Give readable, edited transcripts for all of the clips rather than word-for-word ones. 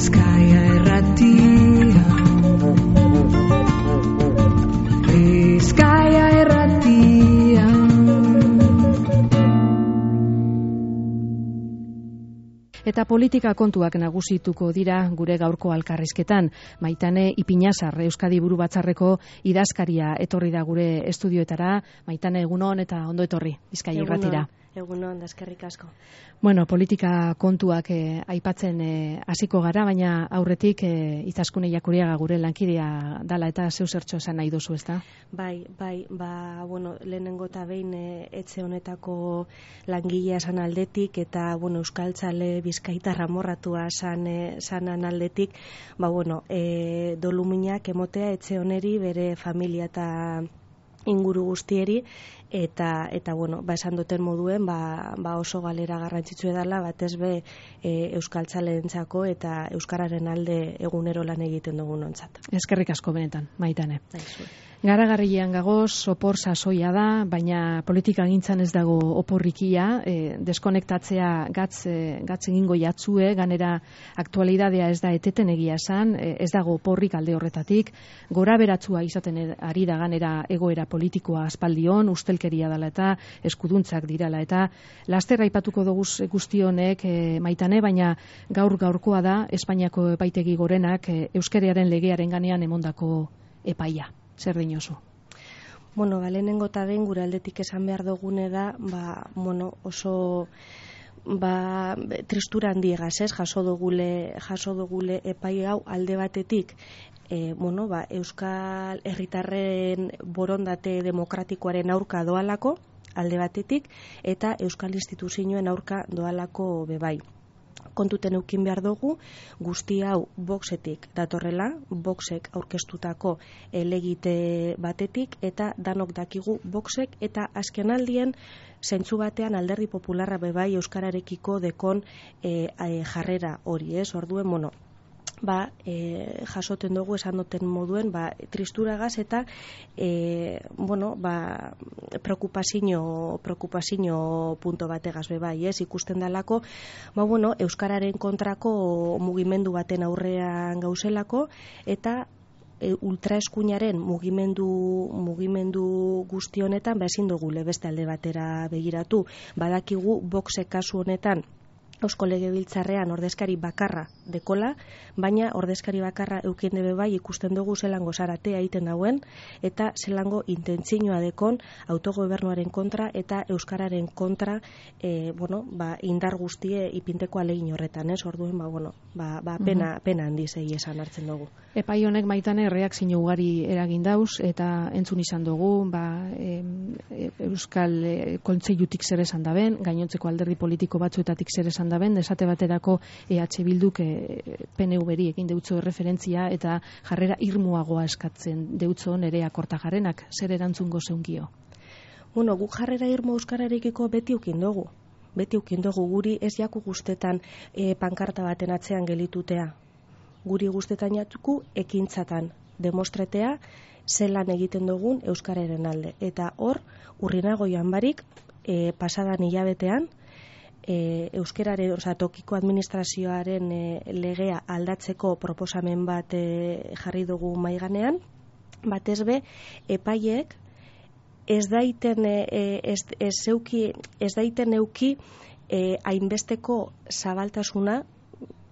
Bizkaia Irratia. Bizkaia Irratia. Eta politika kontuak nagusituko dira gure gaurko elkarrizketan. Maitane Ipinazar, Euskadi Buru Batzarreko idazkaria etorri da gure estudioetara. Maitane, egunon eta ondo etorri Bizkaia Irratira. Egunon, eskerrik asko. Bueno, politika kontuak aipatzen hasiko gara, baina aurretik Izaskun Jakuriaga gure lankidea dala eta zeu zertxo esan nahi duzu, ezta? Bai, lehenengo eta behin etxe honetako langilea esan aldetik eta euskaltzale bizkaitarra morratua sanan aldetik, doluminak emotea etxe honeri bere familia eta inguru guztieri eta esan duten moduen oso galera garrantzitsua dela batez be euskaltzaleentzako eta euskararen alde egunero lan egiten dugunontzat. Eskerrik asko benetan, Maitane. Garagarrian gagoz, opor sasoia da, baina politika gintzan ez dago oporrikia, deskonektatzea gatz egingo jatzue, ganera aktualidadea ez da eteten egia esan, ez dago oporrik alde horretatik, gora beratzua izaten ari da ganera egoera politikoa aspaldion, ustelkeria dela eta eskuduntzak dirala eta laster aipatuko dugu guzti honek Maitane, baina gaurkoa da Espainiako epaitegi gorenak euskararen legearen ganean emondako epaia. Zer dinozu? Lehenengo eta behin gure aldetik esan behar dugune da, oso tristura handiegaz, jaso dugule epai hau alde batetik, Euskal Herritarren borondate demokratikoaren aurka doalako, alde batetik, eta Euskal Instituzioen aurka doalako bebai. Kontuten eukin behar dugu, guzti hau Voxetik datorrela, Voxek aurkeztutako elegite batetik, eta danok dakigu Voxek, eta azken aldien, zentzu batean Alderdi Popularra bebai Euskararekiko dekon jarrera hori, orduen, jasoten dugu esan duten moduen tristuragaz eta preokupazio punto bategaz bebai, ikusten dalako euskararen kontrako mugimendu baten aurrean gauzelako eta ultraeskuinaren mugimendu guzti honetan ezin dugule beste alde batera begiratu. Badakigu Voxek kasu honetan Eusko Legebiltzarrean ordezkari bakarra dekola, baina ordezkari bakarra eukien debe bai ikusten dugu zelango zaratea egiten dauen eta zelango intentzioa dekon autogobernuaren kontra eta euskararen kontra indar guztie ipinteko alegin horretan, orduen pena handiz esan hartzen dugu. Epai honek Maitane erreakzio ugari eragin dauz eta entzun izan dugu Euskal Kontseilutik zer esan daben, gainontzeko alderdi politiko batzuetatik zer esan daben, esate baterako EH Bilduk PNV-ri egin deutzo referentzia eta jarrera irmuagoa eskatzen deutzo Nerea Kortajarrenak, zer erantzungo zeungio? Guk jarrera irmo euskararekiko beti ukin dugu guri ez jaku guztetan pankarta baten atzean gelitutea. Guri guztetan jatuku ekintzatan demostretea zelan egiten dugun euskararen alde. Eta hor, urrinago joan barik, pasadan hilabetean, euskararen, tokiko administrazioaren legea aldatzeko proposamen bat jarri dugu maiganean, batez be, epaiek ez daiten euki hainbesteko zabaltasuna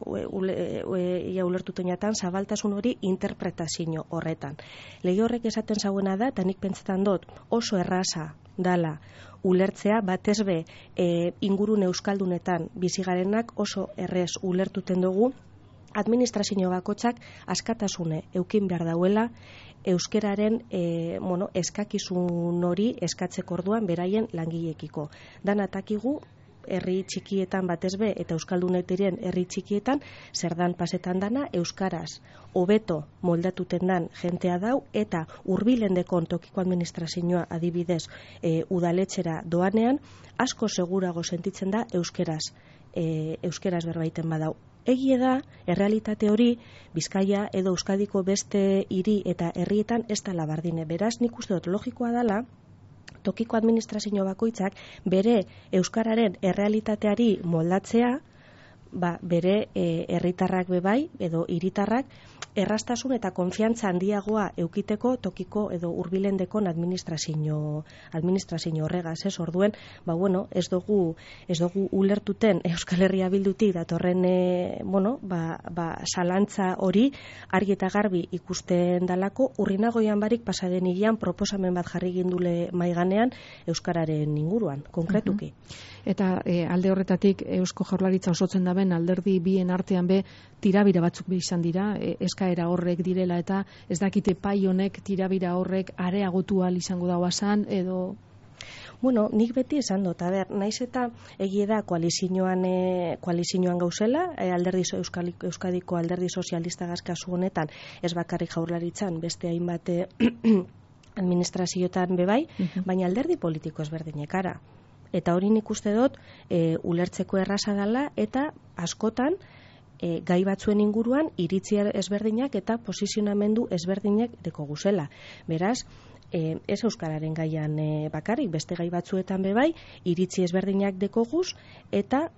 ulertutenatan zabaltasun hori interpretazio horretan. Lege horrek esaten zauena da, eta nik pentsetan dut oso erraza dala ulertzea, batez be ingurune euskaldunetan bizigarenak oso errez ulertuten dugu, administrazio bakotzak askatasune eukin behar dauela euskeraren eskakizun hori eskatzeko orduan beraien langileekiko. Dan atakigu herri txikietan batez be eta euskaldunetiren herri txikietan zer dan pasetan dana euskaraz hobeto moldatuten dan jentea dau eta hurbilen dekon tokiko administrazioa adibidez udaletxera doanean asko segurago sentitzen da euskeraz berbaiten badau. Egie da, errealitate hori Bizkaia edo Euskadiko beste hiri eta herrietan ez dela bardine. Beraz, nik uste dut logikoa dela tokiko administrazio bakoitzak bere euskararen errealitateari moldatzea bere herritarrak bebai edo hiritarrak errastasun eta konfiantza handiagoa eukiteko tokiko edo hurbilendekon administrazio horregaz, ez? Orduen, ez dugu ulertuten Euskal Herria Bildutik datorren zalantza hori argi eta garbi ikusten dalako. Urrinagoian barik pasaden hilean proposamen bat jarri gindule maiganean euskararen inguruan, konkretuki. Eta alde horretatik Eusko Jaurlaritza osotzen daben alderdi bien artean tirabira batzuk izan dira, eskaera horrek direla eta ez dakite pai honek tirabira horrek areagotu ahal izango dauazan edo... Nik beti esan dut, naiz eta egie da koalizioan gauzela, Euskadiko alderdi sozialista kasu honetan, ez bakarrik Jaurlaritzan, beste hainbat administrazioetan bebai, baina alderdi politiko ezberdinekara. Eta hori nik uste dut ulertzeko erraza dela eta askotan gai batzuen inguruan iritzi ezberdinak eta posizionamendu ezberdinak deko guzela. Beraz, ez euskararen gaian bakarrik, beste gai batzuetan bebai, iritzi ezberdinak deko guz, eta,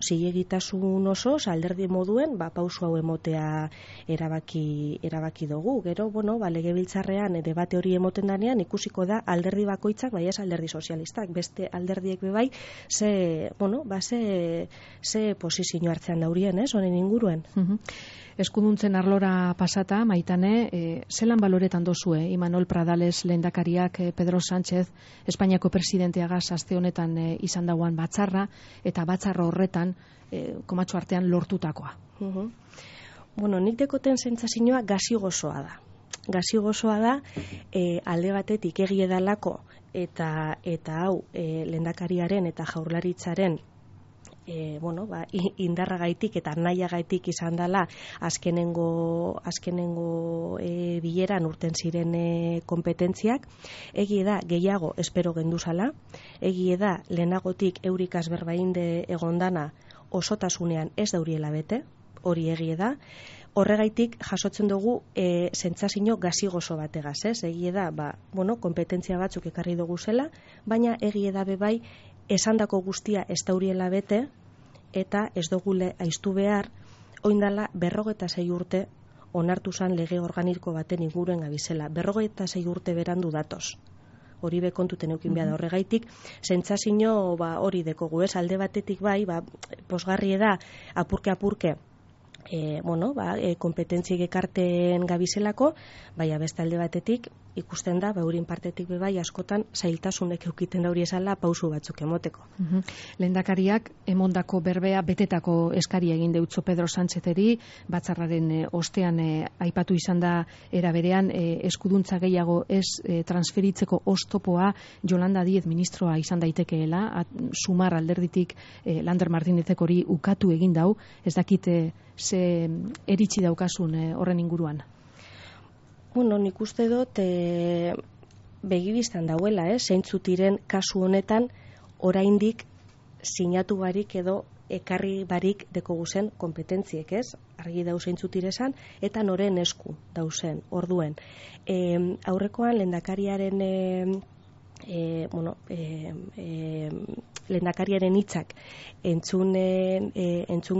zilegitasun oso, alderdi moduen, pausu hau emotea erabaki dugu. Gero, legebiltzarrean debate hori emoten danean, ikusiko da alderdi bakoitzak, bai ez alderdi sozialistak, beste alderdiek bebai, ze posizio hartzean daurien, honen inguruen. Eskuduntzen arlora pasata, Maitane, zelan baloretan dozue, Imanol Pradales lehendakariak Pedro Sánchez, Espainiako presidenteagaz aste honetan izan dauan batzarra, eta batzarra horretan, komatxo artean lortutakoa? Nik dekoten sentsazioa gazi gozoa da. Gazi gozoa da, alde batetik egie dalako, eta hau lehendakariaren eta Jaurlaritzaren indarragaitik eta nahiagaitik izan dela azkenengo bileran urten ziren kompetentziak. Egie da gehiago espero genduzala, egie da lehenagotik eurikaz berbainde egondana osotasunean ez dauriela bete, hori egie da. Horregaitik jasotzen dugu sentsazio gazi-gozo bategaz, ez? Egie da, kompetentzia batzuk ekarri dugu zela, baina egie da bebai esandako guztia ez dauriela bete, eta ez dugule aiztu behar, oindala 46 urte onartu zan lege organiko baten inguruen gabizela. 46 urte berandu datoz. Hori bekontuten eukin behar da horregaitik, sentsazio hori dekogu, ez? Alde batetik bai, posgarri da, apurke, kompetentziek ekarten gabizelako, baina beste alde batetik ikusten da, eurin partetik bebai askotan zailtasunek eukiten dauri esala pausu batzuk emoteko. Lehendakariak emondako berbea betetako eskaria egin deutzo Pedro Sánchezeri, batzarraren ostean aipatu izan da era berean eskuduntza gehiago ez transferitzeko oztopoa Yolanda Díez ministroa izan daitekeela, sumar alderditik Lander Martínezek hori ukatu egin dau, ez dakite ze eritzi daukasun horren inguruan? Nik uste dut begibistan dauela, zeintzutiren kasu honetan oraindik sinatu barik edo ekarri barik deko guzen kompetentziek, ez? Argi dau zeintzutiresan eta noren esku dauzen, orduen. Aurrekoan lehendakariaren lehendakariaren hitzak entzun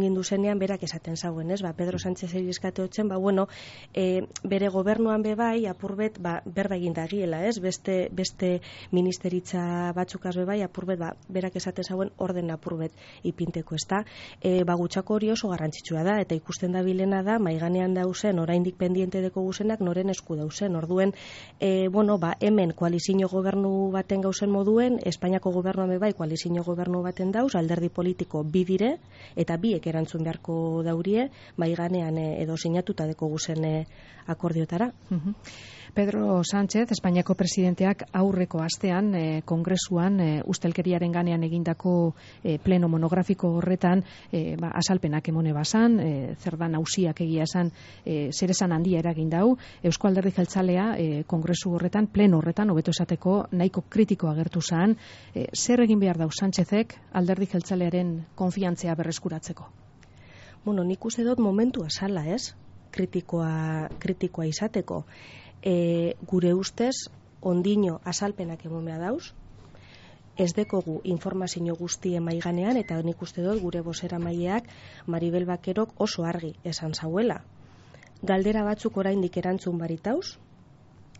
gindu zenean berak esaten zauen, ez? Pedro Sánchez eskate hotzen, bere gobernuan bebai apurbet berba egin dagiela, ez? Beste ministeritza batzukaz bebai apurbet berak esaten zauen orden apurbet ipinteko, ezta? Gutxako hori oso garrantzitsua da eta ikusten da bilena da maiganean dauzen oraindik pendiente deko guzenak noren esku dauzen. Orduen hemen koalizio gobernu baten gauzen moduen, Espainiako gobernuan bebai koalizio gobernu baten dauz, alderdi politiko bi dire, eta biek erantzun beharko daurie, maiganean edo sinatuta deko guzen akordiotara. Pedro Sánchez, Espainiako presidenteak aurreko astean kongresuan ustelkeriaren ganean egindako pleno monografiko horretan azalpenak emone basan, zer da nausiak egia esan zeresan handia eragin dau, Eusko Alderdi Jeltzalea kongresu horretan, pleno horretan, hobeto esateko nahiko kritiko agertu zan, zer egin behar dau Sánchezek Alderdi Jeltzalearen konfiantzea berreskuratzeko? Nik uste dut momentua zala, ez? Kritikoa izateko. Gure ustez ondino azalpenak emomea dauz, ez dekogu informazio guztien maiganean, eta nik uste dut gure bozeramaileak Maribel Bakerok oso argi esan zauela. Galdera batzuk oraindik erantzun baritauz,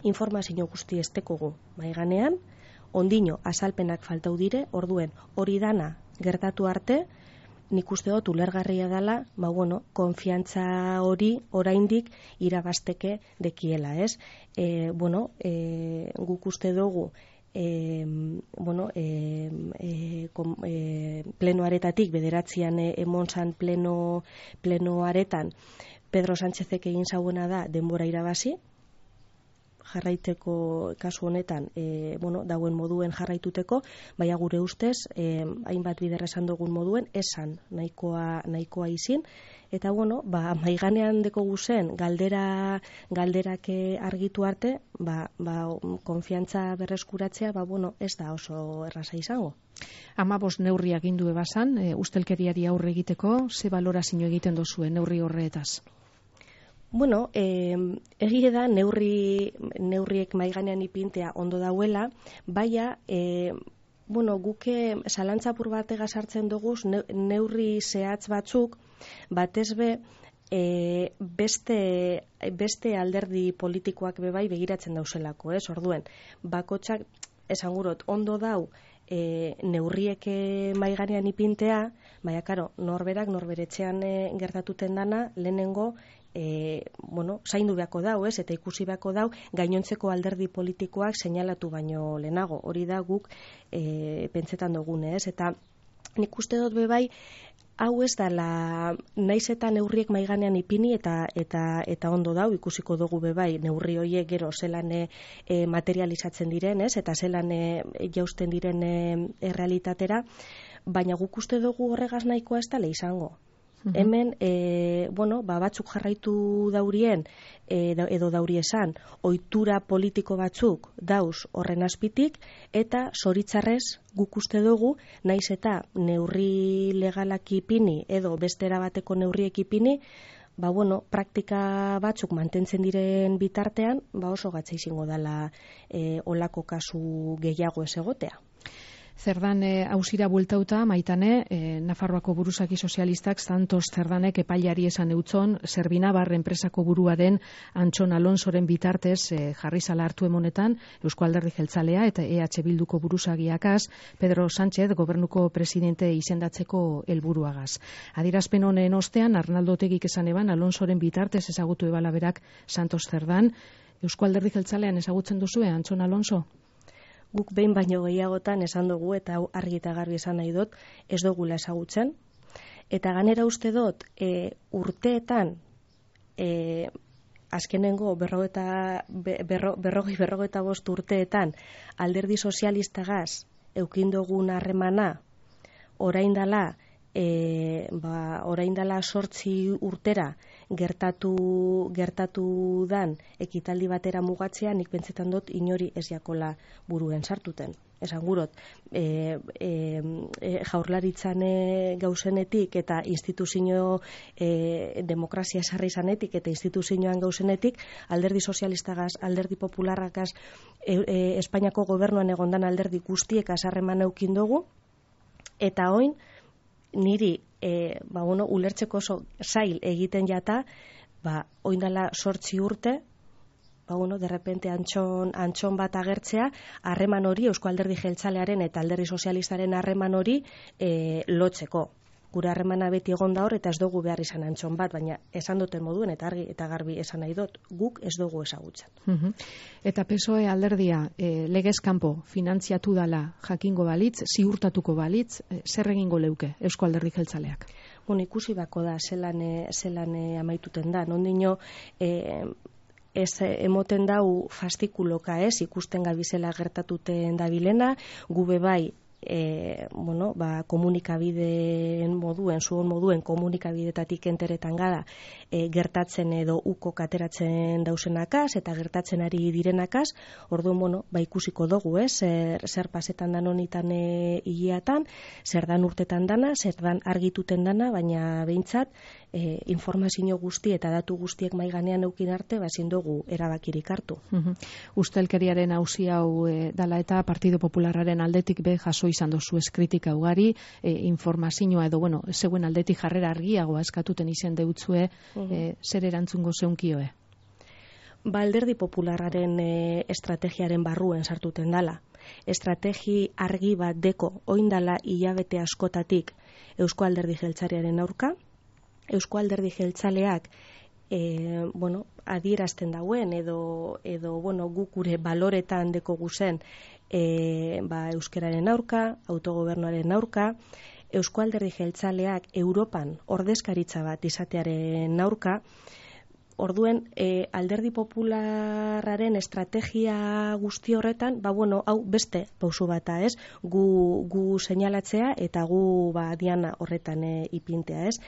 informazio guzti ez dekogu maiganean, ondino azalpenak faltau dire, orduen hori dana gertatu arte, nik uste dut ulergarria dela, konfiantza hori oraindik irabasteke dekiela, ez? Guk uste dugu plenoaretatik, bederatzian emontzan plenoaretan, Pedro Sánchezek egin zauena da denbora irabazi, jarraiteko kasu honetan, dauen moduen jarraituteko, baina gure ustez, hainbat bider esan dugun moduen, esan nahikoa izin, eta maiganean deko guzen, galderak argitu arte, konfiantza berreskuratzea, ez da oso erraza izango. 15 neurri agindu ebasan, ustelkeriari aurre egiteko, ze balorazio egiten dozue neurri horretaz? Egia da neurriek maiganean ipintea ondo dauela, baina guke zalantzapur batega sartzen dugu neurri zehatz batzuk, batez beste alderdi politikoak bebai begiratzen dauzelako, ez? Orduen, bakotxak esangurot ondo dau neurriek maiganean ipintea, baina karo, norberetxean gertatuten dana, lehenengo zaindu beharko dau, ez? Eta ikusi beharko dau gainontzeko alderdi politikoak seinalatu baino lehenago. Hori da guk pentsetan dugune, ez? Eta nik uste dut bebai, hau ez dala naiz eta neurriek maiganean ipini eta ondo dau, ikusiko dugu bebai neurri horiek gero zelan materializatzen diren, ez? Eta zelan jausten diren errealitatera, baina guk uste dugu horregaz nahikoa ez dala izango. Hemen, batzuk jarraitu daurien, edo dauri esan, ohitura politiko batzuk dauz horren azpitik, eta zoritzarrez guk uste dugu, naiz eta neurri legalak ipini, edo bestera bateko neurriek ipini, praktika batzuk mantentzen diren bitartean, oso gatza izango dela olako kasu gehiago ez egotea. Zerdan hausira bueltauta, Maitane, Nafarroako buruzaki sozialistak Santos Zerdanek epailari esan eutzon, Zerbinabar enpresako burua den Antxon Alonsoren bitartez jarri zala hartu emonetan, Eusko Alderdi Jeltzalea eta EH Bilduko buruzagiakaz, Pedro Sánchez gobernuko presidente izendatzeko helburuagaz. Adierazpen honen ostean, Arnaldo Otegik esan eban, Alonsoren bitartez ezagutu ebala berak Santos Zerdan. Eusko Alderdi Jeltzalean ezagutzen duzue, Antxon Alonso? Guk behin baino gehiagotan esan dugu, eta argi eta garbi esan nahi dut, ez dugula ezagutzen. Eta ganera uste dut, urteetan, azkenengo berrogeita bost urteetan, alderdi sozialistagaz eukindogun harremana, orain dala 8 urtera gertatu dan ekitaldi batera mugatzea, nik pentsetan dut inori ez jakola buruen sartuten. Esan gurot, jaurlaritzan gauzenetik eta instituzio demokrazia sarri zanetik eta instituzioan gauzenetik, alderdi sozialistagaz, alderdi popularrakaz, Espainiako gobernuan egondan alderdi guztiek azarreman eukin dugu, eta oin, niri ulertzeko oso zail egiten jata, oindala 8 urte, de repente antxon bat agertzea, harreman hori, Eusko Alderdi Jeltzalearen eta Alderdi Sozialistaren harreman hori lotzeko. Gure harremana beti egon da hor, eta ez dugu behar izan antxon bat, baina esan duten moduen, eta argi eta garbi esan nahi dut, guk ez dugu ezagutzen. Eta PSOE alderdia legez kanpo finantziatu dala jakingo balitz, ziurtatuko balitz, zer egingo leuke Eusko Alderdi Jeltzaleak? Ikusi bako da, zelan amaituten da. Nondino, ez emoten dau fastikuloka ez, ikusten gabizela gertatuten dabilena, gube bai, komunikabideen moduen, zuon moduen komunikabidetatik enteretan gada gertatzen edo uko kateratzen dausenakaz eta gertatzen ari direnakaz, orduan, ikusiko dugu, zer pasetan dan honitan hileatan, zer dan urtetan dana, zer dan argituten dana, baina behintzat, informazio guzti eta datu guztiek maiganean eukin arte, ezin dugu erabakirik hartu. Ustelkeriaren auzi hau dala eta Partido Popularraren aldetik be jaso izan dozu kritika ugari, informazioa edo, bueno, zeuen aldetik jarrera argiagoa eskatuten izen deutzue, zer erantzungo zeunkioe? Alderdi Popularraren estrategiaren barruen sartuten dala. Estrategi argi bat deko oindala hilabete askotatik Eusko Alderdi Jeltzalearen aurka. Eusko Alderdi Jeltzaleak adierazten dauen edo guk gure baloretan deko guzen euskararen aurka, autogobernuaren aurka, Eusko Alderdi Jeltzaleak Europan ordezkaritza bat izatearen aurka. Orduen, Alderdi Popularraren estrategia guzti horretan, hau beste pausu bata, ez? Gu seinalatzea eta gu diana horretan ipintea, ez?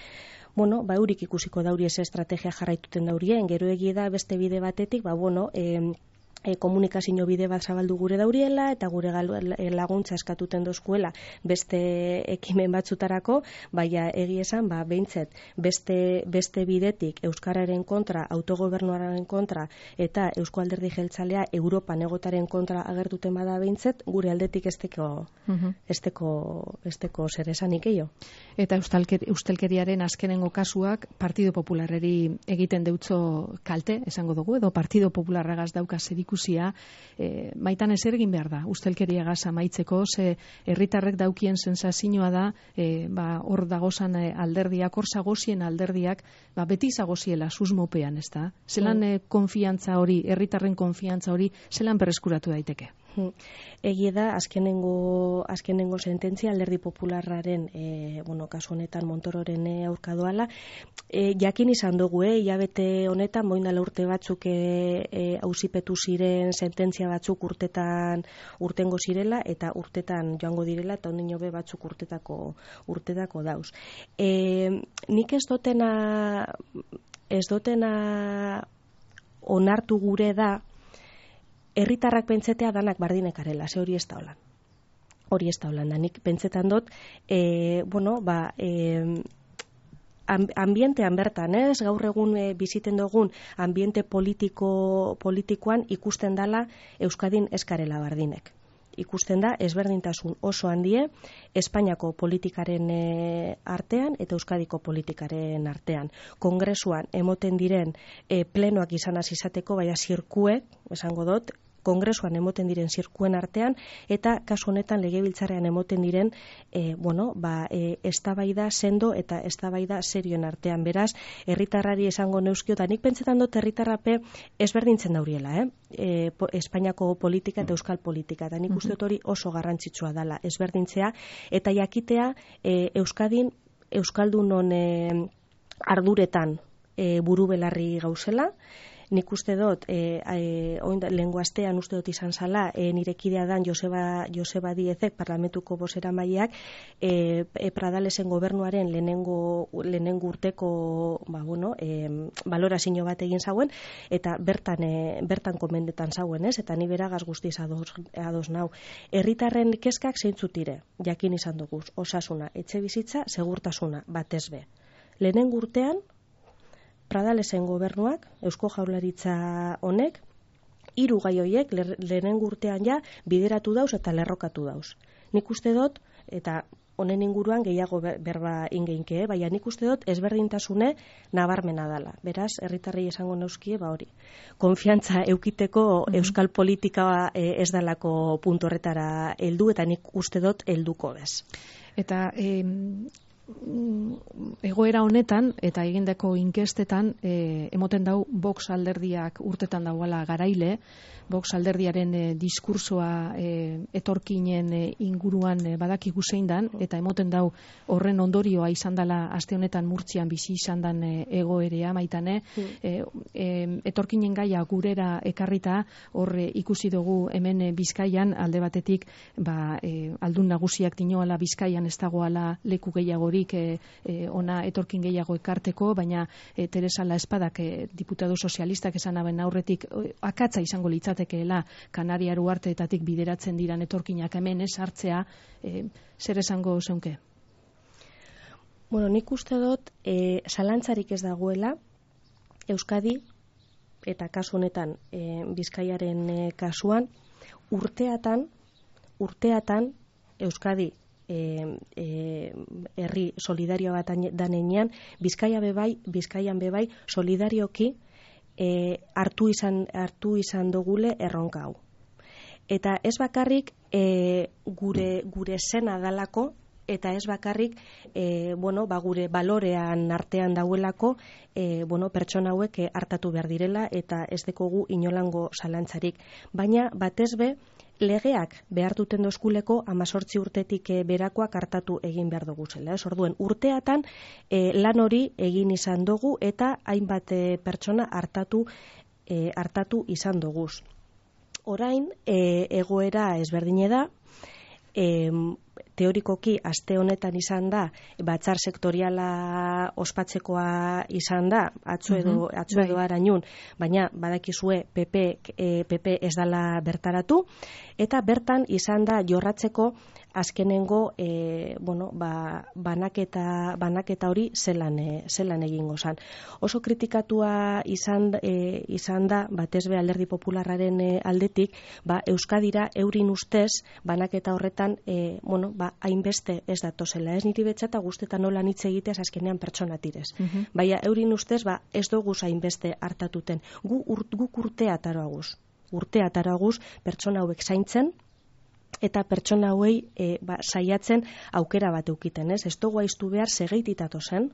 Eurik ikusiko dauri ez estrategia jarraituten daurien, gero egie da beste bide batetik, komunikazio bide bat zabaldu gure dauriela eta gure laguntza eskatuten dozkuela beste ekimen batzutarako, baina egia esan, behintzet, beste bidetik euskararen kontra, autogobernuaren kontra eta Eusko Alderdi Jeltzalea Europan egotaren kontra agertuten bada behintzet, gure aldetik esteko zer esanik eio. Eta ustelkeriaren azkenengo kasuak Partido Popularreri egiten deutzo kalte, esango dugu, edo Partido Popularragaz dauka zerikusia, maitan ez egin behar da, ustelkeriagaz amaitzeko, ze herritarrek daukien sensazioa da, hor dagozan alderdiak, hor zagozien alderdiak, beti zagoziela susmopean, ez da? Zelan konfiantza hori, herritarren konfiantza hori, zelan berreskuratu daiteke? Egie da, azkenengo sententzia Alderdi Popularraren, kasu honetan Montororen aurka doala, jakin izan dugu, hilabete honetan, moindala urte batzuk auzipetu ziren sententzia batzuk urtengo zirela, eta urtetan joango direla, eta honen jobe batzuk urtetako dauz. Nik ez dotena onartu gure da, herritarrak pentsetea danak bardinekarela, ze hori ez da holan. Hori ez da holan, da nik pentsetan dut, ambientean bertan, ez? Gaur egun biziten dugun ambiente politikoan ikusten dala Euskadin eskarela bardinek. Ikusten da ezberdintasun oso handie Espainiako politikaren artean eta Euskadiko politikaren artean. Kongresuan emoten diren plenoak izan izateko, baina zirkuek, esango dut, Kongresuan emoten diren zirkuen artean eta kasu honetan legebiltzarrean emoten diren eztabaida sendo eta eztabaida serioen artean. Beraz, herritarrari esango neuzkio, eta nik pentsetan dut herritarrape ezberdintzen dauriela, Espainiako politika eta euskal politika, eta nik uste dut hori oso garrantzitsua dela ezberdintzea, eta jakitea Euskadin euskaldunon arduretan buru belarri gauzela. Nik uste dut, lehengo astean uste dut izan zala, nire kidea dan Joseba Diezek, parlamentuko bozeramaileak, Pradalesen gobernuaren lehenengo urteko balorazio bat egin zauen, eta bertan komendetan zauen, ez? Eta ni beragaz guztiz ados nau. Herritarren kezkak zeintzutire, jakin izan dugu, osasuna, etxe bizitza, segurtasuna, batez be. Lehenengo urtean, Pradalesen gobernuak, Eusko Jaurlaritza honek, 3 gai horiek lehenengo urtean bideratu dauz eta lerrokatu dauz. Nik uste dut, eta honen inguruan gehiago berba ingeinke, baina nik uste dut ezberdintasune nabarmena dala. Beraz, herritarrei esango neuzkie, hori. Konfiantza eukiteko euskal politika ez dalako puntu horretara heldu, eta nik uste dut helduko bez. Eta egoera honetan eta egindako inkestetan emoten dau Vox alderdiak urtetan dauala garaile, Vox alderdiaren diskursoa etorkinen inguruan badakigu zein dan, eta emoten dau horren ondorioa izan dela aste honetan Murtzian bizi izan dan egoerea maitane, etorkinen gaia gurera ekarrita, hor ikusi dugu hemen Bizkaian alde batetik aldun nagusiak dinoala Bizkaian ez dagoala leku gehiagorik ona etorkin gehiago ekarteko, baina Teresa La Espadak diputado sozialistak esan aben aurretik akatza izango litzatekeela Kanaria Uharteetatik bideratzen diran etorkinak hemen ez hartzea, zer esango zeunke? Nik uste dut zalantzarik ez dagoela Euskadi eta kasu honetan Bizkaiaren kasuan urteatan Euskadi herri solidario bat danean, Bizkaian bebai solidarioki hartu izan dugule erronka hau. Eta ez bakarrik gure zena dalako, eta ez bakarrik gure balorean artean dauelako pertsona hauek hartatu behar direla, eta ez dekogu inolango zalantzarik. Baina batez be, legeak behar duten dozkuleko 18 urtetik berakoak hartatu egin behar dugu zela. Orduen, urteatan lan hori egin izan dugu eta hainbat pertsona hartatu izan dugu. Orain, egoera ezberdine da, teorikoki aste honetan izan da, batzar sektoriala ospatzekoa izan da, atzo edo arañun, baina badakizue PP ez dala bertaratu, eta bertan izan da jorratzeko azkenengo banaketa hori zelan egingo zan. Oso kritikatua izan da, batez be Alderdi Popularraren aldetik, Euskadira eurin ustez banaketa horretan hainbeste ez datozela. Ez niri betxata guztetan nola hitz egiteaz azkenean pertsona tirez. Baina eurin ustez ez dugu hainbeste hartatuten. Guk urtea taraguz pertsona hauek zaintzen, eta pertsona hauei saiatzen aukera bat eukiten, ez? Ez dugu aiztu behar segeititatu zen,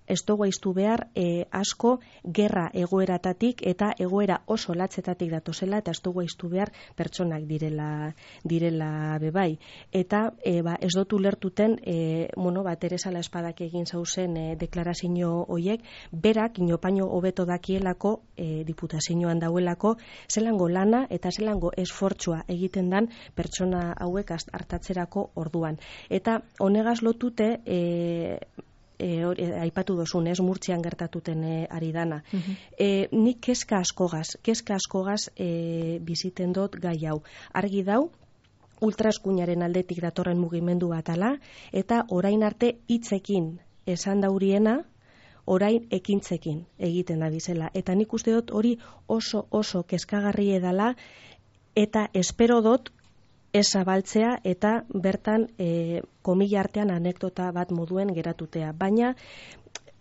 ez dugu aiztu behar asko gerra egoeratatik eta egoera oso latzetatik datozela, eta ez dugu aiztu behar pertsonak direla bebai. Eta ez dut ulertuten Teresa Espadak egin zauzen deklarazio hoiek, berak inopaino hobeto dakielako diputazioan dauelako zelango lana eta zelango esfortzua egiten dan pertsona hauek hartatzerako orduan. Eta honegaz lotute aipatu dozun, ez Murtzian gertatuten ari dana. Nik kezka askogaz biziten dut gai hau. Argi dau, ultraeskuinaren aldetik datorren mugimendu bat ala, eta orain arte hitzekin esan dauriena, orain ekintzekin egiten da bizela. Eta nik uste dut hori oso kezkagarri edala, eta espero dut ez zabaltzea eta bertan komila artean anekdota bat moduen geratutea. Baina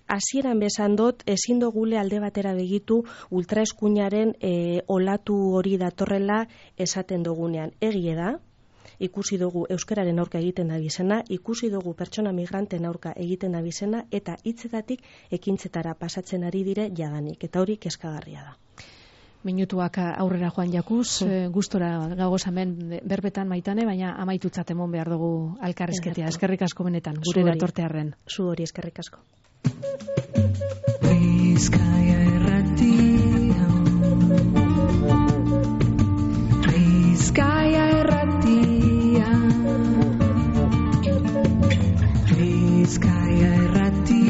hasieran besan dut, ezin dugule alde batera begitu ultraeskuinaren olatu hori datorrela esaten dugunean. Egie da, ikusi dugu euskararen aurka egiten da bizena, ikusi dugu pertsona migranten aurka egiten da bizena, eta hitzetatik ekintzetara pasatzen ari dire jadanik, eta hori kezkagarria da. Minutuak aurrera joan jakuz, gustora gagoz hemen berbetan Maitane, baina amaitutzat emon behar dugu alkarrizketea. Eskerrik asko benetan, gure datortearren. Zu hori, eskerrik asko. Bizkaia Irratia, Bizkaia Irratia, Bizkaia Irratia.